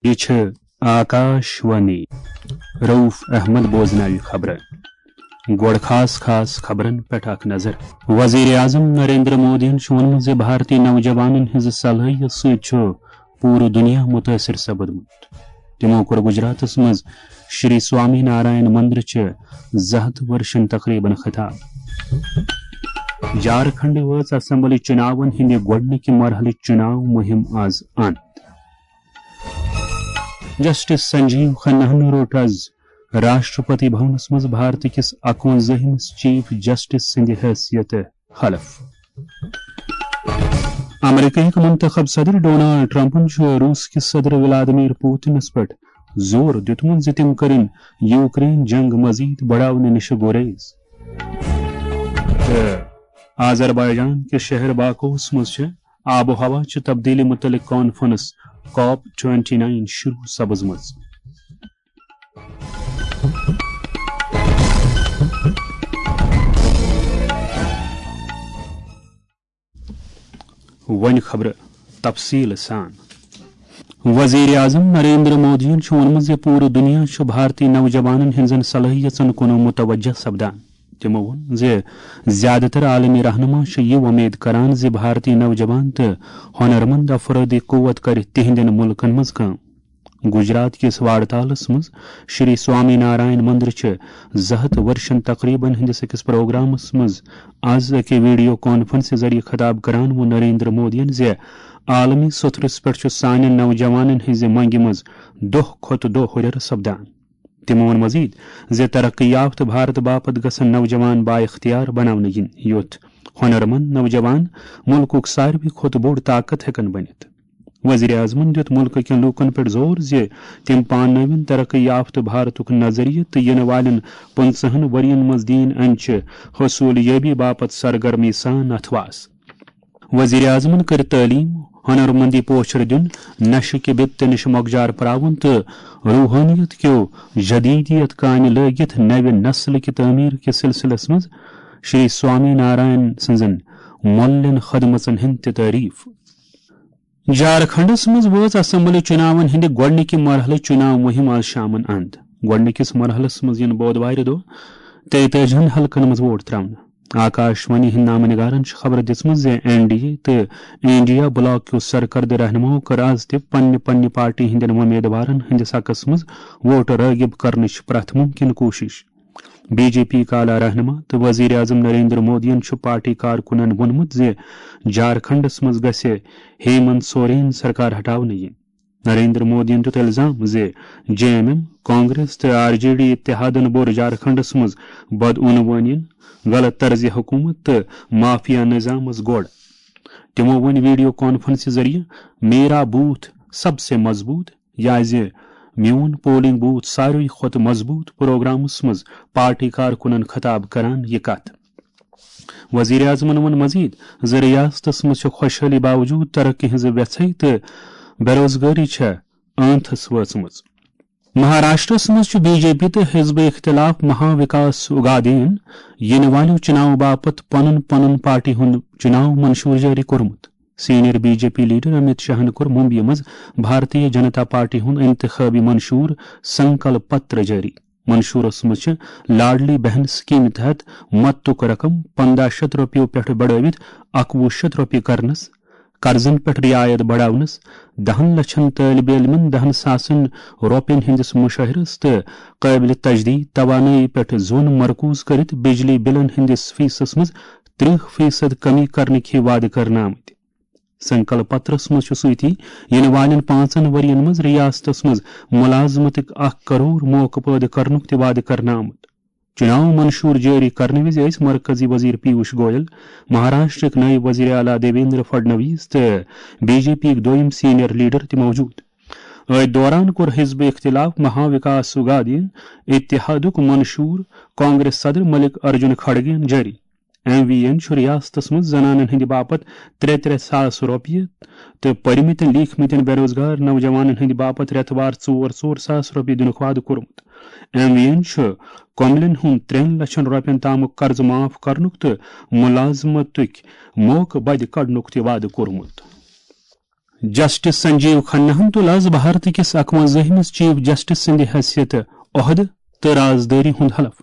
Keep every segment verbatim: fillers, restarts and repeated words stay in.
یہِ چھِ آکاش وانی۔ رؤف احمد بوزناوِ خبرٕ۔ گۄڈٕ خاص خاص خبرن پٮ۪ٹھ اکھ نظر۔ وزیر اعظم نریندر مودیَن چھُ ووٚنمُت زِ بھارتی نوجوانن ہٕنٛزِ صلٲحیت سۭتۍ چھُ پوٗرٕ دُنیا مُتٲثِر سپدمُت۔ تِمو کوٚر گجراتس منٛز شری سوامی نارائن مندرٕچہِ زٕ ہتھ ؤرشن تقریبن خطاب۔ جھارکھنڈ وٲژ اسمبلی چُناون ہٕنٛدِ گۄڈٕنِکہِ مرحلٕچ چُناو مُہِم آز اند۔ جسٹس سنجیو کھناہن روٚٹ از راشٹرپتی بھونس منٛز بھارت کِس اکوَنزٲہمِس چیف جسٹس سٕنٛدِ حیثیت حلف۔ امریکہٕکۍ منتخب صدر ڈونالڈ ٹرمپن چھُ روس کِس صدر ولادیمیر پوتنس پٮ۪ٹھ زور دیُتمُت زِ تِم کرن یوکرین جنگ مزید بڑاونہٕ نِش گریز۔ تہٕ آذربائیجان کِس شہر باکوس منٛز چھِ آب و ہوا چہِ تبدیلی متعلق کانفرنس کاپ ٹوینٹی نائن شروع سپٕزمٕژ۔ وۄنۍ خبرٕ تفصیٖل سان۔ وزیر اعظم نریندر مودیَن چھُ ووٚنمُت زِ پوٗرٕ دُنیا چھُ بھارتی نوجوانن ہٕنٛزن صلٲحیژن کُن متوجہ سپدان۔ تِمو ووٚن زِ زیادٕ تر عالمی رہنما چھِ یہِ وۄمید کران زِ بھارتی نوجوان تہٕ ہۄنرمند افرٲدی قوت کرِ تِہنٛدٮ۪ن مُلکن منٛز کٲم۔ گجرات کِس واڑتالس منٛز شری سوامی نارائن مندرٕچہِ زٕ ہتھ ؤرشن تقریبن ہٕنٛدِس أکِس پروگرامس منٛز از أکہِ ویڈیو کانفرنسہِ ذٔریعہٕ خطاب کران ووٚن نریندر مودیَن زِ عالمی سطحس پٮ۪ٹھ چھُ سانٮ۪ن نوجوانن ہٕنٛزِ منگہِ منٛز دۄہ کھۄتہٕ دۄہ ہُرٮ۪ر سپدان۔ تِمو ووٚن مزید زِ ترقی یافتہٕ بھارت باپتھ گژھن نوجوان بااختیار بناونہٕ یِنۍ، یُتھ ہۄنرمند نوجوان مُلکُک ساروی کھۄتہٕ بوٚڑ طاقت ہٮ۪کن بٔنِتھ۔ وزیر اعظمن دِیُت مُلکہٕ کٮ۪ن لوٗکن پٮ۪ٹھ زور زِ تِم پاننٲوِن ترقی یافتہٕ بھارتُک نظریہ تہٕ یِنہٕ والٮ۪ن پٕنٛژٕہن ؤرین منٛز دِیِن امِچہِ حصوٗل یٲبی باپتھ سرگرمی سان اتھواس۔ وزیر اعظمن کٔر تعلیٖم، ہۄنرمندی پوچھر دیُن، نشہٕ کہِ بِپتہِ نِش مۄکجار پراوُن تہٕ روحٲنیت کیو جدیدیت کامہِ لٲگِتھ نوِ نسلہٕ کہِ تعمیٖر کِس سلسلس منٛز شری سوامی نارائن سٕنٛزن مۄللٮ۪ن خدمژن ہٕنٛد تہِ تعریٖف۔ جھارکھنڈس منٛز وٲژ اسمبلی چُناون ہٕنٛدِ گۄڈٕنِکہِ مرحلٕچ چُناو مُہِم آز شامن اند۔ گۄڈٕنِکِس مرحلس منٛز یِن بودوارِ دۄہ تیتٲجِہن حلقن منٛز ووٹ تراونہٕ۔ آکاش وانی ہٕنٛدۍ نامہٕ نگارن چھِ خبر دِژمٕژ زِ این ڈی اے تہٕ انڈیا بلاک کیو سرکردٕ رہنماہو کٔر آز تہِ پننہِ پننہِ پارٹی ہٕنٛدٮ۪ن وۄمیدوارن ہٕنٛدِس حقس منٛز ووٹ رٲغِب کرنٕچ پرٛٮ۪تھ مُمکِن کوٗشِش۔ بی جے پی کہِ اعلیٰ رہنما تہٕ وزیر اعظم نریندر مودیَن چھُ پارٹی کارکُنَن ووٚنمُت زِ جھارکھنڈَس منٛز گژھِ ہیمنت سورین سرکار ہٹاونہٕ یِنۍ۔ نریندر مودیَن دیُت الزام زِ جے ایم ایم، کانگریس تہٕ آر جے ڈی اتحادَن بوٚر جھارکھنڈَس منٛز بدعنوٲنین، غلط طرز حکومت تہٕ مافیا نظامَس گۄڈ۔ تِمَو ووٚن ویڈیو کانفرنسہِ ذٔریعہٕ، "میرا بوتھ سب سے مضبوط"، یازِ میون پولنگ بوتھ ساروی کھۄتہٕ مضبوط پروگرامس منٛز پارٹی کارکنن خطاب کران یہِ کتھ۔ وزیر اعظمن ووٚن مزید زِ ریاستس منٛز چھِ خۄشحٲلی باوجود ترقی ہٕنٛز وٮ۪ژھے تہٕ بے روزگٲری چھےٚ ٲنتھس وٲژمٕژ۔ مہاراشٹرس منٛز چھُ بی جے پی تہٕ حزب اختلاف مہا وکاس اگادین یِنہٕ والٮ۪و چُناو باپتھ پنُن پنُن پارٹی ہُنٛد چُناو منشور جٲری کوٚرمُت۔ Senior B J P leader Amit شاہن کوٚر ممبیہِ منٛز بھارتیہ جنتا پارٹی ہُنٛد انتخابی منشور سنکلپ پتر جٲری۔ منشورس منٛز چھِ لاڈلی بہن سکیمہِ تحت مدتُک رقم پنٛداہ شیٚتھ رۄپیو پٮ۪ٹھ بڑٲوِتھ اکوُہ شیٚتھ رۄپیہِ کرنس، قرضن پٮ۪ٹھ رعایت بڑاونس، دہن لچھن طٲلبِ علمن دہن ساسن رۄپین ہٕنٛدِس مشاہرس تہٕ قٲبلِ تجدید توانٲیی پٮ۪ٹھ زون مرکوز کٔرِتھ بجلی بلن ہٕنٛدِس فیسس منٛز ترٕہ فیصد کمی کرنٕکۍ وعدٕ کرنہٕ آمٕتۍ۔ سنکلپ پترس منٛز چھُ سۭتی یِنہٕ والٮ۪ن پانٛژن ؤرین منٛز ریاستس منٛز ملازمتٕکۍ اکھ کرور موقعہٕ پٲدٕ کرنُک تہِ وعدٕ کرنہٕ آمُت۔ چُناو منشور جٲری کرنہٕ وِزِ ٲسۍ مرکزی وزیر پیوش گویل، مہاراشٹرٕکۍ نٲیِب وزیر اعلیٰ دیویندر فڈنویس تہٕ بی جے پی یِکۍ دوٚیِم سینئر لیڈر تہِ موجود۔ أتھۍ دوران کوٚر حزب اختلاف مہا وکاس اگادین اتحادُک منشور کانگریس صدر ملک ارجن کھڑگین جٲری۔ ایم وی این چھُ ریاستس منٛز زنانن ہٕنٛدِ باپتھ ترٛےٚ ترٛےٚ ساس رۄپیہِ تہٕ پٔرمٕتٮ۪ن لیٖکھمٕتٮ۪ن بے روزگار نوجوانن ہٕنٛدِ باپتھ رٮ۪تہٕ وار ژور ژور ساس رۄپیہِ دِنُک وعدٕ کوٚرمُت۔ ایم وی این چھُ کۄملٮ۪ن ہُنٛد ترٛٮ۪ن لچھن رۄپین تامُک قرضہٕ معاف کرنُک تہٕ ملازمتٕکۍ موقعہٕ بدِ کڑنُک تہِ وعدٕ کوٚرمُت۔ جسٹس سنجیو کھناہن تُل آز بھارت کِس اکوَنزٲہمِس چیف جسٹس سٕنٛدِ حیثیت عہدٕ تہٕ رازدٲری ہُنٛد حلف۔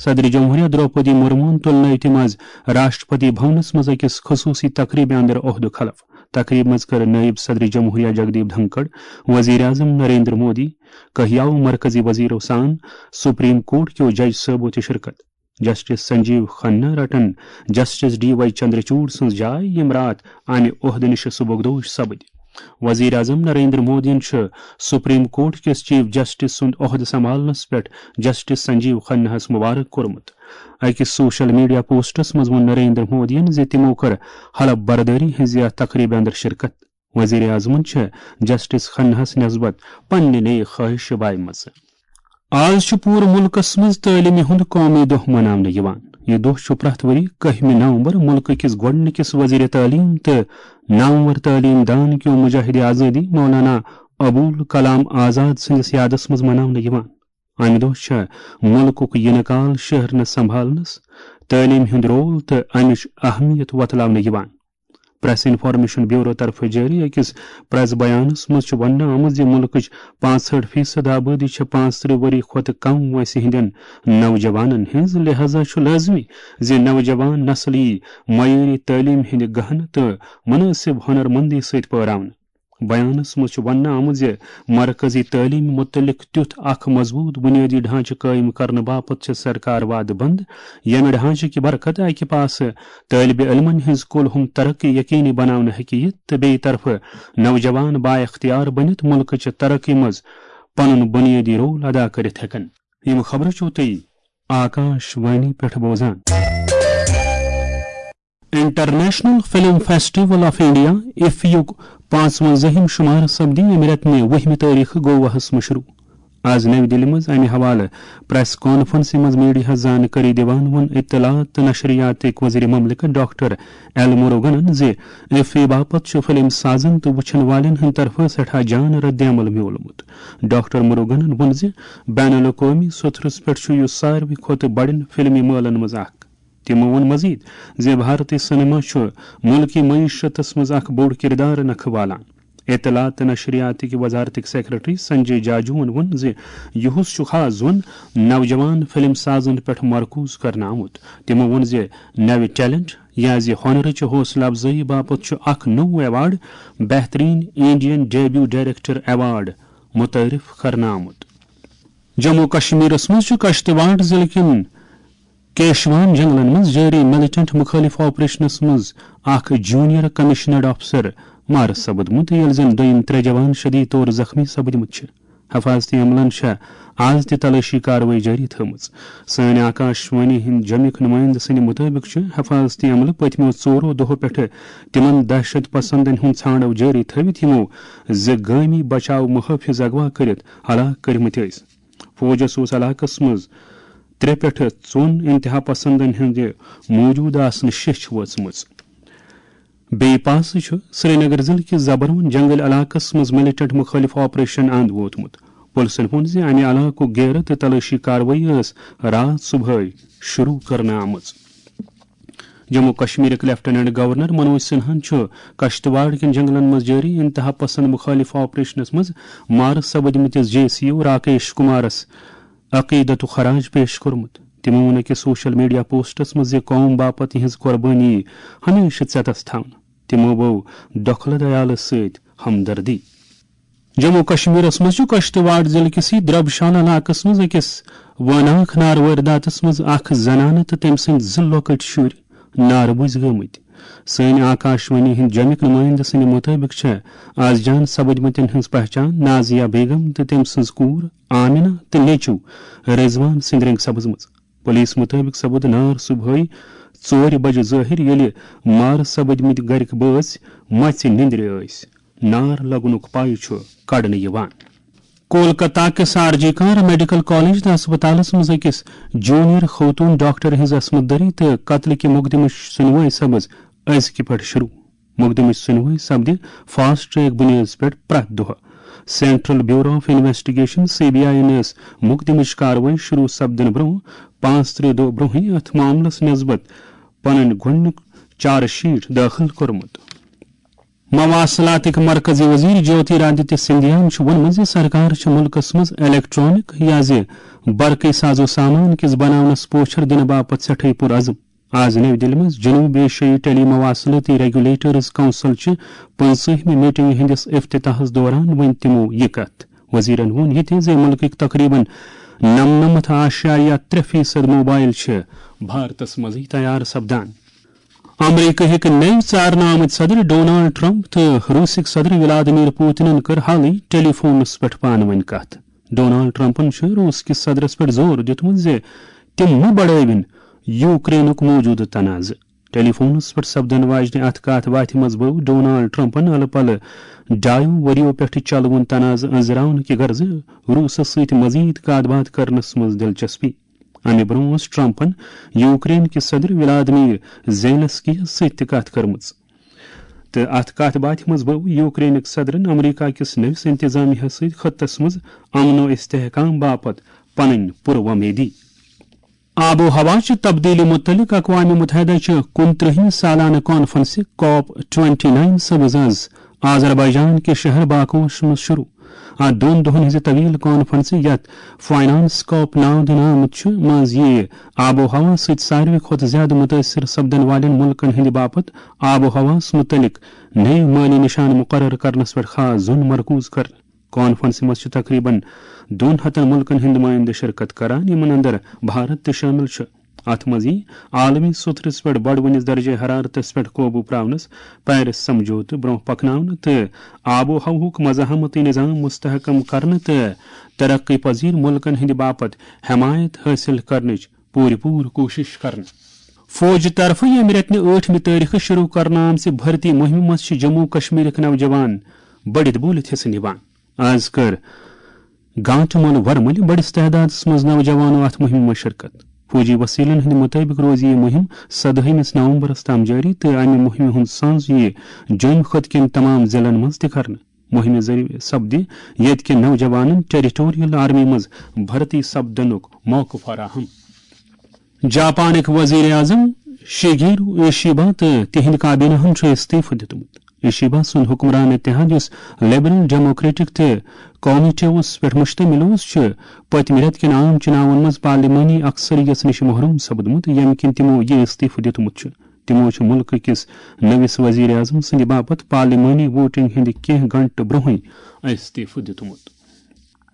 صدر جمہوریہ درٛوپدی مرموہن تُل نٔوۍ تِم آز راشٹرپتی بھونس منٛز أکِس خصوٗصی تقریبہِ اندر عہدُک حلف۔ تقریبہِ منٛز کٔر نٲیِب صدر جمہوریہ جگدیپ دھنکڑ، وزیر اعظم نریندر مودی، کہیاو مرکزی وزیرو سان سپریم کورٹ کیو جج صٲبو تہِ شرکت۔ جسٹس سنجیو کھنہ رٹن جسٹس ڈی وائی چندرچوڑ سٕنٛز جاے، یِم راتھ امہِ عہدٕ نِش سبکدوش سپٕدۍ۔ وزیر اعظم نریندر مودیَن چھُ سپریم کورٹ کِس چیف جسٹس سُنٛد عہدٕ سنبھالنس پٮ۪ٹھ جسٹس سنجیو کھناہَس مبارک کوٚرمُت۔ أکِس سوشل میڈیا پوسٹس منٛز ووٚن نریندر مودیَن زِ تِمو کٔر حلف بردٲری ہٕنٛزِ یَتھ تقریبہِ اندر شرکت۔ وزیر اعظمن چھِ جسٹس کھناہَس نسبت پننہِ نیک خواہش باومژٕ۔ آز چھُ پوٗرٕ مُلکس منٛز تعلیمہِ ہُنٛد قومی دۄہ مناونہٕ یِوان۔ یہِ دۄہ چھُ پرٛٮ۪تھ ؤری کٔہمہِ نومبر مُلکہٕ کِس گۄڈٕنِکِس وزیر تعلیم تہٕ نامور تعلیم دان کیو مجاہد آزادی مولانا ابوالکلام آزاد سٕنٛدِس یادس منٛز مناونہٕ یِوان۔ امہِ دۄہ چھےٚ مُلکُک یِنہٕ کال شہرنہٕ سنبھالنس، تعلیمہِ ہُنٛد رول تہٕ امِچ اہمیت وۄتلاونہٕ یِوان۔ پریس انفارمیشن بیورو طرفہٕ جٲری أکِس پریس بیانس منٛز چھُ وننہٕ آمُت زِ مُلکٕچ پانٛژہٲٹھ فیصد آبٲدی چھےٚ پانٛژترٕہ ؤری کھۄتہٕ کم وٲنٛسہِ ہٕنٛدٮ۪ن نوجوانن ہٕنٛز، لہذا چھُ لٲزمی زِ نوجوان نسل یی معیٲری تعلیٖم ہٕنٛدِ گہنہٕ تہٕ منٲسب ہُنر مندی سۭتۍ پٲراونہٕ۔ بیانس منٛز چھُ وننہٕ آمُت زِ مرکزی تعلیٖم مُتعلق تیُتھ اکھ مضبوٗط بُنیٲدی ڈھانچہٕ قٲیِم کرنہٕ باپتھ چھِ سرکار وعدٕ بنٛد، ییٚمہِ ڈھانچہٕ کہِ برکت اکہِ پاسہٕ طٲلبہِ علمن ہٕنٛز کُل ہُم ترقی یقینی بناونہٕ ہیٚکہِ یِتھ تہٕ بیٚیہِ طرفہٕ نوجوان بااختیار بٔنِتھ مُلکٕچہِ ترقی منٛز پنُن بُنیٲدی رول ادا کٔرِتھ ہیٚکن۔ یِم خبرٕ چھِو تُہۍ آکاش وانی پٮ۪ٹھ بوزان۔ International film festival of India, IFFI یُک پانٛژوَنزٲہِم شمارٕ سپدِ ییٚمہِ رٮ۪تہٕ مے وُہمہِ تٲریخہٕ گوواہس منٛز شروع۔ آز نَوِ دِلہِ منٛز امہِ حوالہٕ پریس کانفرنسہِ منٛز میڈیاہس زانکٲری دِوان ووٚن اطلاعات تہٕ نشریاتٕکۍ وزیر مملکت ڈاکٹر ایل مروگنن زِ ایفی باپتھ چھُ فلم سازن تہٕ وُچھن والٮ۪ن ہٕنٛدِ طرفہٕ سٮ۪ٹھاہ جان رد عمل میولمُت۔ ڈاکٹر مروگنن ووٚن زِ بین الاقوٲمی سطحس پٮ۪ٹھ چھُ یہِ ساروی کھۄتہٕ بڑٮ۪ن فلمی مٲلن منٛز اکھ۔ تِمو ووٚن مزید زِ بھارتی سینما چھُ مُلکی معیشتس منٛز اکھ بوٚڑ کردار نکھٕ والان۔ اطلاعات تہٕ نشریاتٕکۍ وزارتٕکۍ سیکرٹری سنجے جاجوَن ووٚن زِ یُہُس چھُ خاص زون نوجوان فلم سازن پٮ۪ٹھ مرکوز کرنہٕ آمُت۔ تِمو ووٚن زِ نوِ ٹیلنٹ یا زِ ہُنرٕچہِ حوصلہٕ افزٲیی باپتھ چھُ اکھ نوٚو ایوارڈ، بہترین انڈین ڈیبیو ڈائریکٹر ایوارڈ، متعارف کرنہٕ آمُت۔ جموں و کشمیرس منٛز چھُ کشتواڑ ضلعہٕ کٮ۪ن کیشوان جنگلن منٛز جٲری ملیٹنٹ مُخٲلِف آپریشنس منٛز اکھ جونیئر کمشنرڈ افسر مارٕ سپُدمُت، ییٚلہِ زن دوٚیِم ترٛےٚ جوان شدید طور زخمی سپٕدمٕتۍ چھِ۔ حفاظتی عملن چھےٚ آز تہِ تلٲشی کاروٲیی جٲری تھٲومٕژ۔ سٲنۍ آکاش وانی ہٕنٛدۍ جوٚمِکۍ نُمٲیندٕ سٕنٛدِ مُطٲبِق چھُ حفاظتی عملہٕ پٔتمیو ژورو دۄہو پٮ۪ٹھٕ تِمن دہشت پسندن ہُنٛد ژھانڈو جٲری تھٲوِتھ، یِمو زٕ گٲمی بچاو محٲفظ اغوا کٔرِتھ ہلاک کٔرمٕتۍ ٲسۍ۔ فوجس اوس علاقس منٛز ترٛےٚ پٮ۪ٹھٕ ژۄن انتہا پسندن ہٕنٛدِ موجود آسنہٕ شیٚچھ وٲژمٕژ۔ بیٚیہِ پاسہٕ چھُ سرینگر ضلعہٕ کِس زبرون جنگل علاقس منٛز ملیٹنٹ مُخٲلِف آپریشن اند ووتمُت۔ پُلسن ووٚن زِ امہِ علاقُک گیرٕ تہٕ تلٲشی کاروٲیی ٲس راتھ صبحٲے شروع کرنہٕ آمٕژ۔ جموں کشمیرٕکۍ لیفٹیننٹ گورنر منوج سنہاہن چھُ کشتواڑ کٮ۪ن جنگلن منٛز جٲری انتہا پسند مُخٲلِف آپریشنس منٛز مارٕ سپٕدمٕتِس جے سی او راکیش کمارس عقیدتُک خراج پیش کوٚرمُت۔ تِمو ووٚن أکِس سوشل میڈیا پوسٹس منٛز زِ قوم باپتھ یِہنٛز قۄربٲنی ہمیشہٕ ژٮ۪تس تھاونہٕ۔ تِمو بٲو دۄکھلہٕ دیالہٕ سۭتۍ ہمدردی۔ جموں کشمیرس منٛز چھُ کشتواڑ ضلعہٕ کِسٕے دربشان علاقس منٛز أکِس وٲناکھ نارٕ وٲرۍداتس منٛز اکھ زنانہٕ تہٕ تٔمۍ سٕنٛدۍ زٕ لۄکٕٹۍ شُرۍ نارٕ بُزۍ گٲمٕتۍ۔ سٲنۍ آکاش وانی ہٕنٛدۍ جوٚمِکۍ نُمٲیندٕ سٕنٛدِ مُطٲبِق چھےٚ آز جان سپٕدمٕتٮ۪ن ہٕنٛز پہچان نازیہ بیگم تہٕ تٔمۍ سٕنٛز کوٗر آمنہ تہٕ نیٚچُو رضوان سٕنٛدۍ رٔنٛگۍ سپٕزمٕژ۔ پُلیٖس مُطٲبِق سپُد نار صُبحٲے ژورِ بجہِ ظٲہِر، ییٚلہِ مارٕ سپٕدمٕتۍ گرِکۍ بٲژ مژِ نِندرِ ٲسۍ۔ نار لگنُک پَے چھُ کڑنہٕ یِوان۔ کولکتہ کِس آر جی کار میڈیکل کالج تہٕ ہسپتالس منٛز أکِس جونیئر خوتون ڈاکٹر ہٕنٛز عصمت دری تہٕ قتلٕکہِ مقدمٕچ سُنوٲے سپٕز أزکہِ پٮ۪ٹھ شروع۔ مقدمٕچ سُنوٲے سپدِ فاسٹ ٹریک بُنیٲدس پٮ۪ٹھ پرٛٮ۪تھ دۄہ۔ Central bureau of investigation, C B I, ٲس مقدمٕچ کاروٲیی شروع سپدنہٕ برٛونٛہہ پانٛژترٕہ دۄہ برٛونٛہٕے اتھ معاملس نسبت پنٕنۍ گۄڈٕنیُک چارج شیٹ دٲخل کوٚرمُت۔ مواصلاتٕکۍ مرکزی وزیر جیوتی رادتیہ سندھیاہن چھُ ووٚنمُت زِ سرکار چھِ مُلکس منٛز الیکٹرانک یا زِ برقی ساز و سامان کِس بناونس پوچھر دِنہٕ باپتھ سٮ۪ٹھٕے پُرعزم۔ آز نَوِ دِلہِ منٛز جنوب ایشیائی ٹیلی مواصلٲتی ریگولیٹرز کونسل چہِ پٕنٛژٕہمہِ میٹنگہِ ہٕنٛدِس افتتاحس دوران ؤنۍ تِمو یہِ کتھ۔ وزیرن ووٚن یہِ تہِ زِ مُلکٕکۍ تقریباً نَمنَمَتھ اعشاریہ ترٛےٚ فیصد موبائل چھِ بھارتس منٛزٕے تیار سپدان۔ امریکہ ہٕکۍ نٔوۍ ژارنہٕ آمٕتۍ صدر ڈونالڈ ٹرمپ تہٕ روسٕکۍ صدر ولادیمیر پوتنن کٔر حالٕے ٹیلی فونس پٮ۪ٹھ پانہٕ ؤنۍ کتھ۔ ڈونالڈ ٹرمپن چھُ روس کِس صدرس پٮ۪ٹھ زور دیُتمُت زِ تِم مہٕ بڑٲوِن یوکرینُک موجودٕ تنازٕ۔ ٹیلی فونس پٮ۪ٹھ سپدن واجنہِ اتھ کتھ باتھِ منٛز بٲو ڈونالڈ ٹرمپن الہٕ پلہٕ ڈایو ؤرِیو پٮ۪ٹھٕ چلوُن تنازٕ أنزراونہٕ کہِ غرضہٕ روسس سۭتۍ مزید کتھ باتھ کرنس منٛز دلچسپی۔ امہِ برونٛہہ اوس ٹرمپن یوکرین کِس صدر ولادیمیر زیلنسکی یس سۭتۍ تہِ کتھ کٔرمٕژ۔ تہٕ اتھ کتھ باتھِ منٛز بٲو یوکرینٕکۍ صدرن امریکہ کِس نٔوِس انتظامیہ سۭتۍ خطس منٛز امن و استحکام باپتھ پنٕنۍ پُر وۄمیدی۔ آب و ہوا چہِ تبدیلی متعلق اقوام متحدہ چہِ کُنترٕہمہِ سالانہٕ کانفرنسہِ کاپ ٹوئنٹی نائن سبز از آذربائیجان کہِ شہر باکوس منٛز شروع۔ اتھ دۄن دۄہن ہٕنٛزِ طویل کانفرنسہِ، یتھ فائنانس کاپ ناو دِنہٕ آمُت چھُ، منٛز یِیہِ آب و ہوا سۭتۍ ساروی کھۄتہٕ زیادٕ متٲثر سپدن والٮ۪ن مُلکن ہٕنٛدِ باپتھ آب و ہوہس متعلق نٔوۍ مٲلی نشان مقرر کرنس پٮ۪ٹھ خاص زوٚن مرکوز کرنہٕ۔ کانفرنسہِ منٛز چھِ تقریباً دۄن ہتن مُلکن ہٕنٛدۍ نُمٲیندٕ شرکت کران، یِمن اندر بھارت تہِ شٲمِل چھُ۔ اتھ منٛز یِیہِ عالمی سوٚتھرِس پٮ۪ٹھ بڑوٕنِس درجہ حرارتس پٮ۪ٹھ قوبو پراونس، پیرس سمجھوتہٕ برونٛہہ پکناونہٕ تہٕ آب و ہوہُک مزاحمتی نظام مستحکم کرنہٕ تہٕ ترقی پذیر مُلکن ہٕنٛدِ باپتھ حمایت حٲصِل کرنٕچ پوٗرٕ پوٗرٕ کوٗشش کرنہٕ۔ فوجہِ طرفہٕ ییٚمہِ رٮ۪تہٕ نہِ ٲٹھمہِ تٲریخہٕ شروع کرنہٕ آمژِ بھرتی مُہِمہِ منٛز چھِ جموں کشمیرٕکۍ نوجوان بٔڑِتھ بوٗلِتھ حصہٕ نِوان۔ از کٔر گانٹہٕ مۄلہٕ ورمٕلۍ بٔڑِس تعدادس منٛز نوجوانو اتھ مُہِمہِ منٛز شرکت۔ فوجی وسیلن ہٕنٛدِ مُطٲبِق روزِ یہِ مُہِم سدٲہمِس نومبرس تام جٲری تہٕ امہِ مُہِمہِ ہُنٛد سانز یِیہِ جوٚمۍ خٕطہٕ کٮ۪ن تمام ضلعن منٛز تہِ کرنہٕ۔ مُہِمہِ ذٔریعہٕ سپدِ ییٚتہِ کٮ۪ن نوجوانن ٹیریٹوریل آرمی منٛز بھرتی سپدنُک موقعہٕ فراہم۔ جاپانٕکۍ وزیر اعظم شیگیرو ایشیبا تہٕ تِہنٛدِ کابینہ ہن چھُ استعفہٕ دیُتمُت۔ ایشیبا سُنٛد حکمران اتحاد، یُس لبرل ڈیموکریٹک تہٕ کامیٹیوس پٮ۪ٹھ مشتمل اوس، چھُ پٔتمہِ رٮ۪تہٕ کٮ۪ن عام چُناون منٛز پارلیمانی اکثریت نِش محروم سپدمُت، ییٚمہِ کِنۍ تِمو یہِ استعفہٕ دیُتمُت چھُ۔ تِمو چھُ مُلکہٕ کِس نٔوِس وزیر اعظم سٕنٛدِ باپتھ پارلیمانی ووٹنگ ہٕنٛدِ کینٛہہ گھنٹہٕ برونٛہٕے استعفہٕ دیُتمُت۔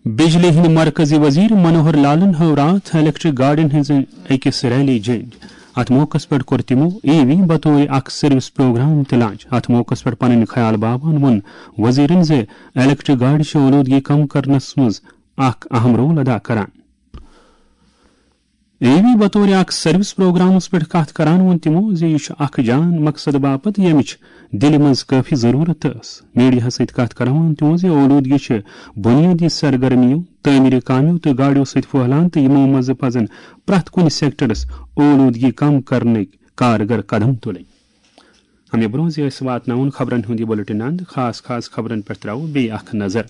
بجلی ہٕنٛدۍ مرکزی وزیر منوہر لالن ہٲو راتھ الیکٹرک گاڑین ہٕنٛزِ أکِس ریلی جینڈ۔ اتھ موقعس پٮ۪ٹھ کوٚر تِمو ای وی بطور اکھ سروس پروگرام تہِ لانچ۔ اتھ موقعس پٮ۪ٹھ پنٕنۍ خیال باوان ووٚن وزیرن زِ الیکٹرک گاڑِ چھِ اولودگی کم کرنس منٛز اکھ اہم رول ادا کران۔ ای وی بطور اکھ سروس پروگرامس پٮ۪ٹھ کتھ کران ووٚن تِمو زِ یہِ چھُ اکھ جان مقصد باپتھ، ییٚمِچ دِلہِ منٛز کٲفی ضروٗرت ٲس۔ میڈیاہَس سۭتۍ کَتھ کران ووٚن تِمو زِ اولوٗدگی چھِ بُنیٲدی سرگرمیو، تعمیٖری کامٮ۪و تہٕ گاڑیو سۭتۍ پھٔہلان تہٕ یِمو منٛزٕ پزن پرٛٮ۪تھ کُنہِ سیکٹرس اولوٗدگی کم کرنٕکۍ کارگر قدم تُلٕنۍ۔ اَمہِ برٛونٛہہ زِ أسۍ واتناوون خبرن ہُنٛد یہِ بُلٹن اند، خاص خاص خبرن پٮ۪ٹھ ترٛاوو بیٚیہِ اکھ نظر۔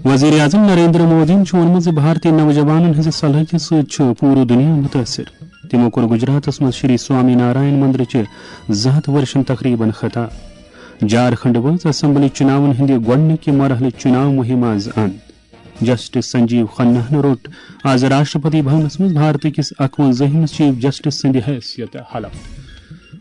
وزیر اعظم نریندر مودیَن چھُ ووٚنمُت زِ بھارتی نوجوانَن ہٕنٛزِ صلٲحیتہِ سۭتۍ چھُ پوٗرٕ دُنیا مُتٲثِر۔ تِمو کوٚر گجراتَس منٛز شری سوامی نارائن مندرٕچہِ زٕ ہَتھ ؤرشَن تقریبن خطاب۔ جھارکھنڈ وٲژ اسمبلی چُناون ہٕنٛدِ گۄڈٕنِکہِ مرحلٕچ چُناو مُہِم آز اند۔ جسٹس سنجیو کھناہَن روٚٹ آز راشٹرپتی بھونَس منٛز بھارتہٕ کِس اَکوَنزٲہمِس چیف جسٹس سٕنٛدِ حیثیتہٕ حلف۔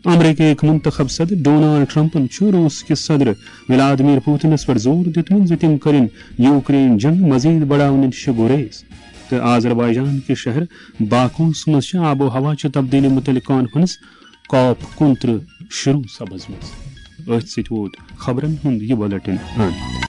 امریکہٕکۍ منتخب صدر ڈونالڈ ٹرمپن چھُ روس کِس صدر ولادیمیر پوتنس پٮ۪ٹھ زور دیُتمُت زِ تِم کٔرِن یوکرین جنگ مزید بڑاونہٕ نِش گُریز تہٕ آذربائیجان کِس شہر باکوس منٛز چھِ آب و ہوا چہِ تبدیلی مُتعلق کانفرنس کاپ کُنترٕہ شروع سپٕزمٕژ۔ أتھۍ سۭتۍ ووت خبرن ہُنٛد یہِ بُلٹن اند۔